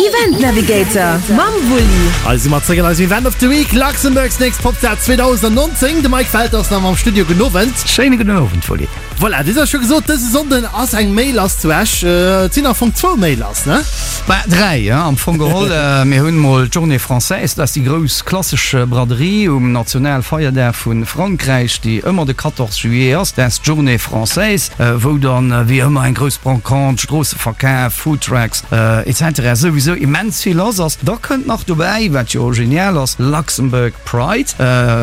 Event Navigator mam Wulli. Hei si mer zréck an eisem Event of the Week, Luxembourg's Next Popstar 2019. De Mike Welter ass nach am Studio. Gudden Owend. Schéine gudden Owend, Wulli. Voilà, dir hutt scho gesot, dëse Sonnden ass eng Méi lass zu Esch. Et sinn am Fong zwou Méi lass, ne? Bah, dräi, ja, am Fong geholl. Mir hunn mol d'Journée Française, dat ass déi grouss klassesch Braderie um Nationalfeierdag vu Frankräich, déi ëmmer de 14 Juillet ass. Dat ass d'Journée Française, wou dann wéi ëmmer eng grouss Brocante, Stroosseverkaf, Foodtrucks, etc. Souwisou immens vill lass ass. Da kënnt nach dobäi, wat jo genial ass, Luxembourg Pride.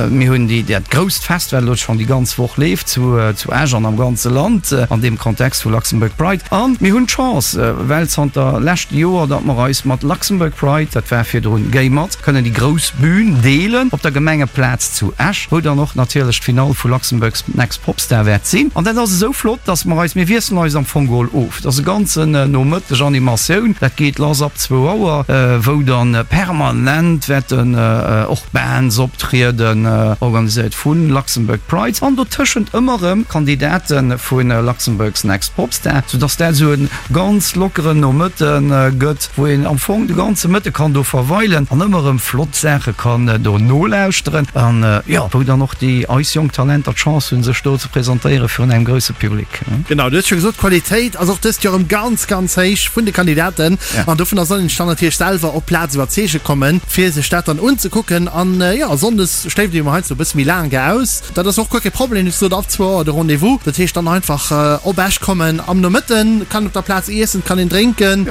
Mir hunn déi, dat grousst Fest, wat elo schonn déi ganz Woch leeft zu, zu Esch an am ganze Land an deem Kontext vu Luxembourg Pride. A mir hunn d'Chance, well zanter leschte Joer, datt mer eis mat Luxembourg Pride, dat war virdrun Gay Mat, kënnen déi grouss Bühn deelen op der Gemengeplaz zu Esch, wou dann och natierlech d'Finall vu Luxembourg's Next Popstar wäert sinn. An dat ass esou flott, datt mer eis, mir wiesselen eis am Fong geholl of. Et ass e ganzen Nomëtteg Animatioun, dat geet lass ab zwou Auer, wou dann permanent wäerten och Bands optrieden, organiséiert vu Luxembourg Pride, an dotëschent ëmmer erëm Kandidate vu Luxembourg's Next Popstar, soudass dat esou e ganz lockeren Nomëtte gëtt, wou een am Fong de ganze Mëtte kann do verweilen an ëmmer erëm flott Saache kann do nolauschteren an, jo, wou dann och déi eis jonk Talenter d'Chance hunn, sech do ze presentéiere virun engem grousse Public. Genau, du hues scho gesot, d'Qualitéit ass och dëst Joer erëm ganz, ganz héich vun de Kandidaten. An dovunner soll een sech dann natierlech selwer op d'Plaz iwwerzeege kommen, fir sech dat dann unzekucken. An jo, sonndes schléift ee jo mol heiansdo e bësse méi laang aus. Dat ass och guer kee Problem. Du hues gesot, ab zwou Auer de Rendez-vous. Dat heescht dann einfach op Esch kommen am Nomëtten, kann op der Plaz iessen, kann een drénken,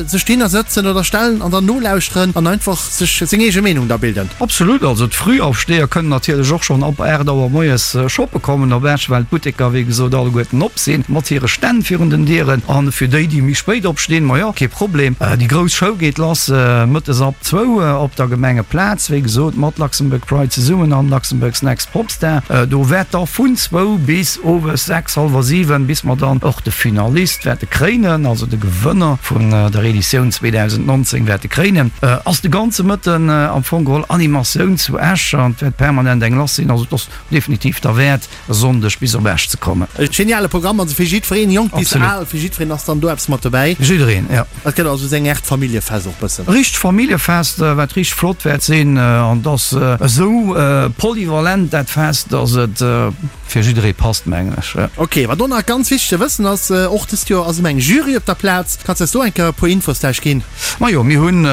sech dohinner sëtzen oder stellen an dann nolauschteren an einfach sech seng eege Meenung da bilden. Absolut, also d'Frühaufsteher kënnen natierlech och schonn ab 8 Auer moies shoppe kommen op Esch, well d'Butteker wéi gesot alleguerten op sinn, mat hire Stänn virun den Dieren. A fir déi, déi méi spéit opstinn, majo, kee Problem, déi grouss Show geet lass mëttes ab zwou op der Gemengeplaz, wéi gesot mat Luxembourg Pride zesummen an Luxembourg's Next Popstar. Do wäert da vun zwou bis owes 6, hallwer 7, bis mer dann och de Finalist wäerte kréinen, also de Gewënner vun der Editioun 2019 wäerte kréinen, ass de ganze Mëtten am Fong geholl Animatioun zu Esch an et wäert permanent eng lass sinn. Also et ass definitiv derwäert e Sonndeg bis op Esch ze kommen. E geniale Programm, also fir jiddwereen, jonk bis al, fir jiddwereen ass dann do eppes mat dobäi. Jiddereen, jo. Et gëtt also seng Art Familljefest och bëssen. E richtegt Familljefest, wat richteg flott wäert sinn an et ass esou polyvalent dat Fest, dass et fir jidderee passt, mengen ech. Ok, wat och nach ganz wichteg ze wëssen ass, och dëst Joer ass ëm eng Jury op der Plaz. Kanns de eis do eng Kéier e puer Infos vläicht ginn? Majo, mir hunn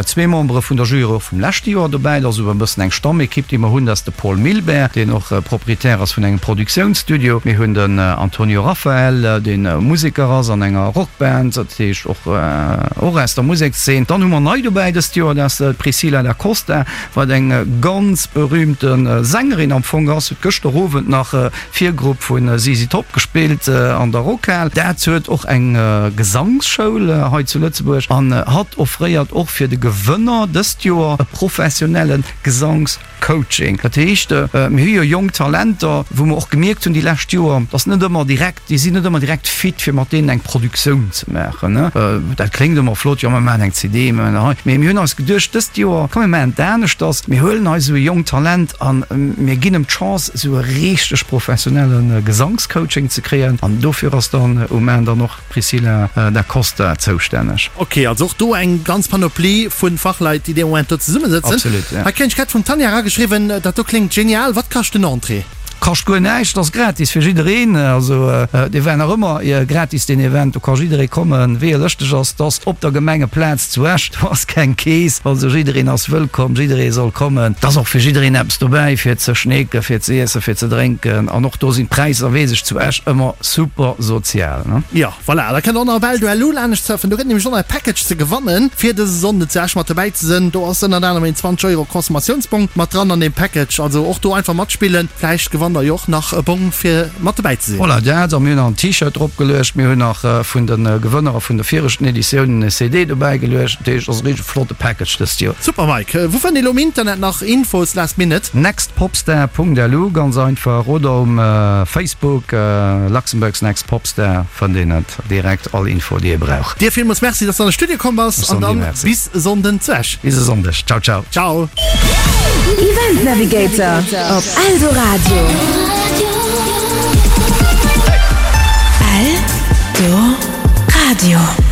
zwee Membere vun der Jury och vum leschte Joer dobäi. Dat ass esou e bëssen eng Stammekipp, déi mer hunn. Dat ass de Paul Milbert, deen och Proprietär ass vun engem Produktiounsstudio. Mir hunn den Antonio Raphael, dee Museker ass an enger Rockband, dat heescht och och aus der Musekszeen. Dann hu mer nei dobäi dëst Joer, dat ass d'Priscilla Da Costa, wat eng ganz berühmte Sängerin am Fong ass. Huet gëschter Owend nach Virgrupp vu ZZ Top gespillt an der Rockhal. Dat huet och eng Gesangsschoul hei zu Lëtzebuerg an hatt offréiert och fir de Gewënner dëst Joer e professionelle Gesangscoaching. Dat heescht, mir hu jo jonk Talenter, wou mer och gemierkt hunn déi lescht Joer, dass net ëmmer direkt, déi sinn net ëmmer direkt fit fir mat deenen eng Produktioun ze maachen. Dat kléngt ëmmer flott, jo mer maachen eng CD, mer maachen hei, mee mir hunn eis geduecht dëst Joer, komm mir maachen et aneschters, mir huelen eis esou e jonkt Talent a mir ginn em d'Chance, esou e richteg professionelle Gesangscoaching ze kréien an dofir ass dann um Enn dann och d'Priscilla Da Costa zoustänneg. Ok, also och do eng ganz Panoplie vu Fachleit, déi dee Moment do zesummesëtzen. Absolut, ja. Hei kréien ech grad vum Tanja erageschriwwen, dat do kléngt genial, wat kascht den Entrée? Kascht guer näischt, ass gratis fir jiddereen. Also dee war nach ëmmer gratis deen Event, do ka jidderee kommen, wéi e lëschteg ass. 't ass op der Gemengeplaz zu Esch, do ass keng Kees, also jiddereen ass wëllkomm, jidderee soll kommen. 't ass och fir jiddereen eppes dobäi fir ze schneeken, fir ze iessen, fir ze drénken an och do sinn d'Präisser, weess ech, zu Esch ëmmer super sozial. Jo, voilà, da kënnt och nach op Eldo LU laanescht surfen. Do gëtt nämlech och nach e Package ze gewannen, fir dëse Sonnden zu Esch mat dobäi ze sënn. Do ass ënnert anerem een 20 Euro Consommatiounsbong mat dran an deem Package. Also och do einfach matspillen, vläicht gewannt der jo och nach e Bong fir mat dobäi ze sinn. Voilà, dat a mir hunn nach en T-Shirt drop geluecht, mir hunn nach vun de Gewënner vun de viregten Editiounen e CD dobäi geluecht. Dat heescht, et ass e richteg flotte Package dëst Joer. Super Mike, wou fënnt ee lo um Internet nach Infos last minute? Nextpopstar.lu ganz einfach oder um Facebook Luxembourg's Next Popstar fënnt een et direkt all Info déi ee brauch. Dir villmools Merci dass de an de Studio komm bass an dann bis Sonnden zu Esch. Bis e Sonndeg, ciao ciao. Ciao. Event Navigator op Eldoradio. Eldoradio.